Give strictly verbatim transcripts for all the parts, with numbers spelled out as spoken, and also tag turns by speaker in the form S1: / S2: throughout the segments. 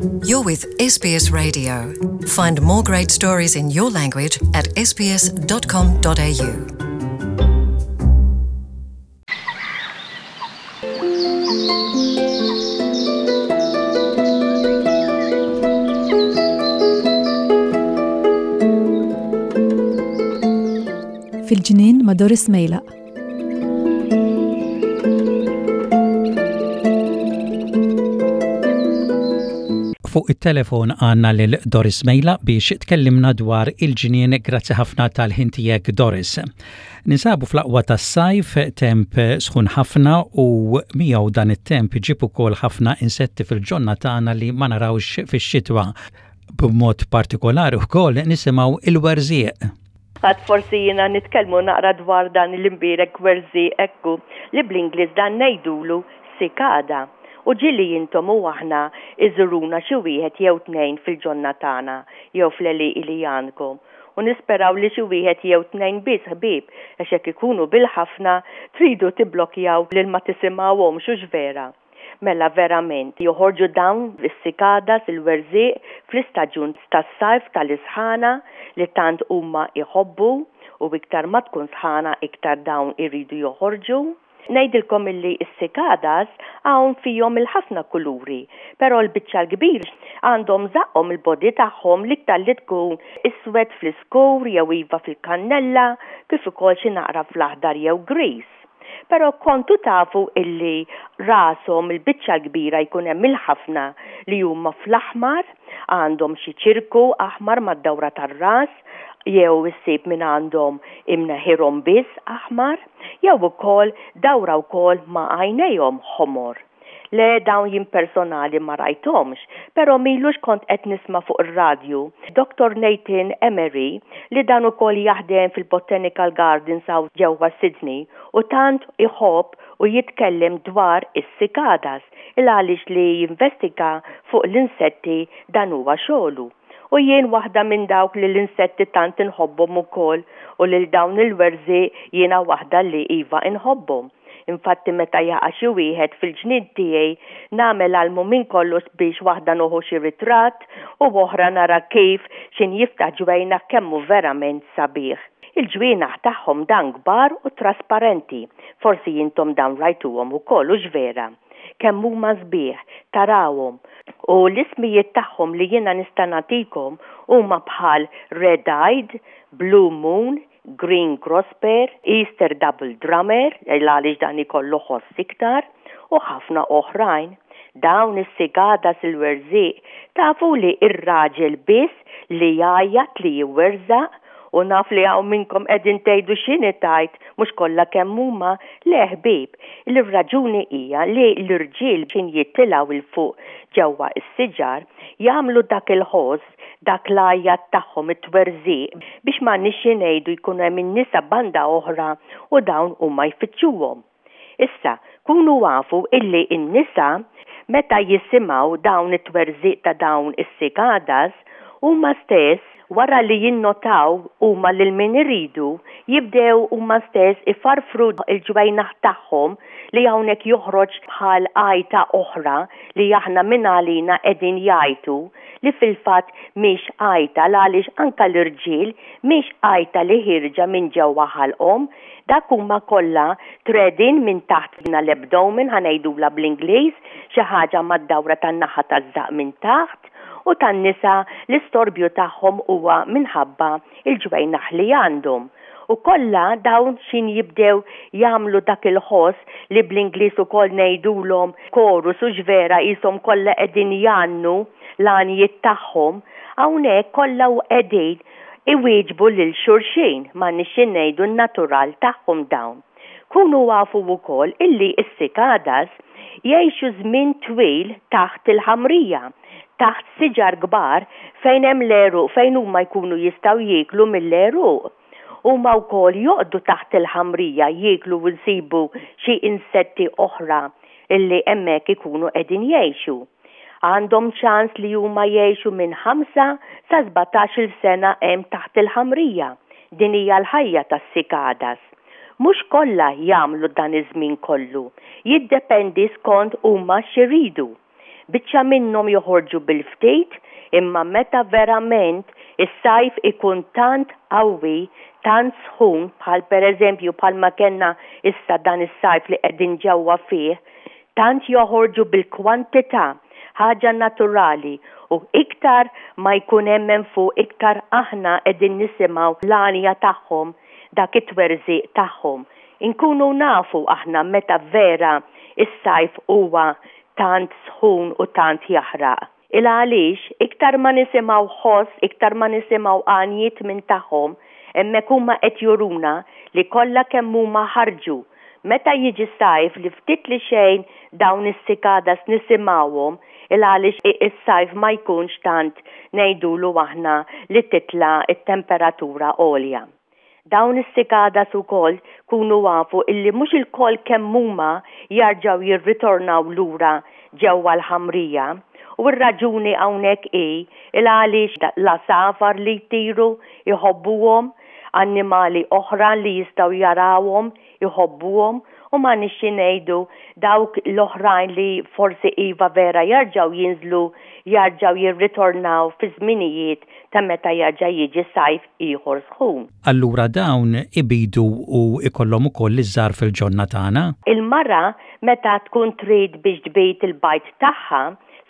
S1: You're with S B S Radio. Find more great stories in your language at S B S dot com dot A U.
S2: Fil-ġnien ma' Doris Mejlaq.
S3: Fuq it-telefon għandna lil Doris Mejlaq biex tkellimna dwar il-ġnien. Grazzi ħafna tal-ħin tiegħek, Doris. Ninsabu fl-aqwa tas-sajf, temp sħun ħafna, u miegħu dan it-temp iġib ukoll ħafna insetti fil-ġonna tagħna li ma narawx fix-xitwa. B'mod partikolari wkoll nisimgħu il-werżieq.
S4: Għad forsi jiena nitkellmu naqra dwar dan l-imbierek werżieq ekku li bl-Ingliż dan ngħidulu cicada. U ġieli intom u aħna iżuruna xi wieħed jew tnejn fil-ġonna tagħna jew fl-għelieqi li għandkom. U nisperaw li xi wieħed jew tnejn biss, ħbieb, għax hekk ikunu bil-ħafna tridu tibblokjaw lil ma tisimgħuhomx, hux vera? Mela verament joħorġu dawn is-cicadas, il-werżieq, fl-istaġun tas-sajf tal-isħana li tant huma iħobbu, u iktar ma tkun sħana iktar dawn iridu joħorġu. Ngħidilkom illi s-cicadas hawn fihom il-ħafna kuluri, però l-biċċa l-kbir għandhom żaqqhom, il-body tagħhom l-iktar li tkun iswed fl-iskur jew iva fil-kannella, kif ukoll xi naqra fl-aħdar jew gris. Però kontu tafu illi rashom il-biċċa l-kbira jkun hemm il-ħafna li huma fl-aħmar, għandhom xi ċirku aħmar mad-dawra tar-ras, jew issib minn għandhom imneħirhom biss aħmar, jew ukoll dawra wkoll ma' għajnejhom ħomor. Le, dawn jien personali ma rajthomx, però m'ilux kont qed nisma' fuq ir-radju Doctor Nathan Emery, li dan ukoll jaħdem fil-Botanical Gardens hawn ġewwa Sydney u tant iħobb u jitkellem dwar is-cicadas il għaliex li jinvestiga fuq l-insetti dan huwa xogħlu. U jien waħda minn dawk li l-insetti tant inħobbhom ukoll, u lil dawn il-werżieq jiena waħda li iva inħobbhom. Infatti meta jaqa' xi wieħed fil-ġnien tiegħi nagħmel almu minn kollox biex waħda nieħu xi ritratt u oħra nara kif xin jiftaħ ġwejna kemmu verament sabiħ. Il-ġwienaħ tagħhom dan kbar u trasparenti. Forsi intom dan rajtuhom ukoll, hux vera? Kemm huma sbieħ tarawhom, u l-ismijiet tagħhom li jiena nista' nagħtikom huma bħal Red Eyed, Blue Moon, Green Grosper, Easter Double Drummer, għaliex dan ikollu ħoss iktar, u ħafna oħrajn. Dawn is-cicadas, il-werżieq, tafu li ir-raġel biss li jgħajjat li jwerżaq? U naf li hawn minnkom qegħdin tgħidu, "X'inhi tgħid, mhux kollha kemm huma?" Le ħbieb, il-raġuni hija li l-irġiel xin jitilgħu 'il fuq ġewwa is-siġar jagħmlu dak il-ħoss, dak l-għajat tagħhom, it-twerżiq, biex ma nixi ngħidu jkun hemm in-nisa banda oħra u dawn huma jfittxuhom. Issa, kunu afu illi n-nisa meta jisimgħu dawn it-twerżiq ta' dawn is-cicadas, huma stess, wara li jinnotaw huma lil min iridu, jibdew huma stess ifarfru il-ġwejnaħ tagħhom li hawnhekk joħroġ bħal għajta oħra li aħna minn għalina qegħdin jgħajtu, li fil-fatt mhix għajta, għaliex anka l-irġiel mhix għajta li ħierġa minn ġewwa ħalqhom. Dak huma kollha tredin minn taħt l-abdomen, ħa ngħidula bl-Ingliż, xi ħaġa mad-dawra tan-naħa taż-żaq minn taħt, u tan-nisa l-istorbju tagħhom huwa minħabba il-ġwejnaħ li għandhom. U kollha dawn xin jibdew jagħmlu dak il-ħoss li bl-Ingliż ukoll ngħidulhom chorus, hux vera? Qishom kollha qegħdin jgħannu l-għanjiet tagħhom. Hawnhekk kollha u qegħdin iwieġbu lil xulxin, ma nixin ngħidu n-natural tagħhom dawn. Kunu afu wkoll illi s-cicadas jgħixu żmien twil taħt il-ħamrija, taħt siġar kbar fejn hemm l-għeruq, fejn huma jkunu jistgħu jieklu mill-għeruq. Huma wkoll joqogħdu taħt il-ħamrija jieklu u nsibu xi insetti oħra illi hemmhekk ikunu qegħdin jgħixu. Għandhom ċans li huma jgħixu minn ħamsa sa sbatax-il sena hemm taħt il-ħamrija. Din hija l-ħajja tas-cicadas. Mhux kollha jagħmlu dan iż-żmien kollu. Jiddependi skont huma x'iridu. Biċċa minnhom joħorġu bil-ftit, imma meta verament is-sajf ikun tant qawwi, tant sħun, bħal pereżempju bħalma kellna issa dan is-sajf li qegħdin ġewwa fih, tant joħorġu bil-kwantità, ħaġa naturali, u iktar ma jkun hemm hemm fuq iktar aħna qegħdin nisimgħu l-għanja tagħhom, dak it-twerżiq tagħhom. Inkunu nafu aħna meta vera is-sajf huwa tant sħun u tant jaħraq. Il għaliex iktar ma nisimgħu ħoss, iktar ma nisimgħu għanjiet minn tagħhom, hemmhekk huma qed juruna li kollha kemm huma ħarġu. Meta jiġi sajf li ftit li xejn dawn is-cicadas nisimgħuhom, il għaliex is-sajf ma jkunx tant ngħidulu aħna li titla' t-temperatura għolja. Dawn is-cicadas ukoll kunu afu illi mhux ilkoll kemm huma jarġgħu jirritornaw lura ġewwa l-ħamrija, u r-raġuni hawnhekk hi il għaliex l-għasafar li jtiru jħobbuhom, annimali oħra li jistgħu jarawhom jħobbuhom, u ma nixxi ngħidu dawk l-oħrajn li forsi iva vera jarġgħu jinżlu, jarġgħu jirritornaw fi żminijiet ta' meta jarġa' jiġi sajf ieħor sħun.
S3: Allura dawn ibidu u ikollhom ukoll iż-żgħar fil-ġonna tagħna?
S4: Il-mara meta tkun trid biex tbid il-bajd tagħha,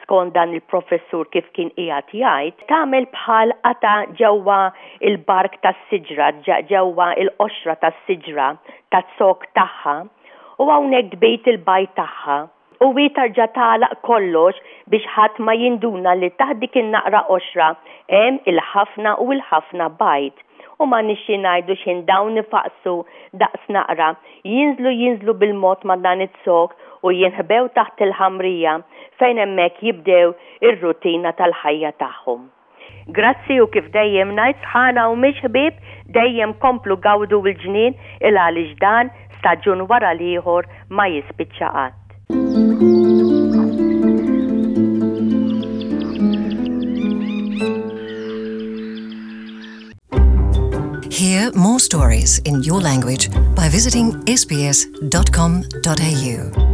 S4: skont dan il-professur kif kien qiegħed jgħid, tagħmel bħal qata ġewwa il-bark tas-siġra, ġewwa il-qoxra tas-siġra taz-zokk tagħha, u hawnhekk tbid il-bajd tagħha. U hi tarġa' tagħlaq kollox biex ħadd ma jinduna li taħt dik in-naqra qoxra hemm il-ħafna u l-ħafna bajd. U ma nixxi ngħidu x'ħin dawn ifaqsu daqs naqra, jinżlu jinżlu bil-mod ma' dan iz-zokk u jinħbew taħt il-ħamrija fejn hemmhekk jibdew ir-rutina tal-ħajja tagħhom. Grazzi, u kif dejjem ngħid, sħana u mhix ħbieb, dejjem komplu gawdu l-ġnien il għaliex dan staġun wara l-ieħor ma jispiċċa qatt.
S1: Hear more stories in your language by visiting S B S dot com dot A U.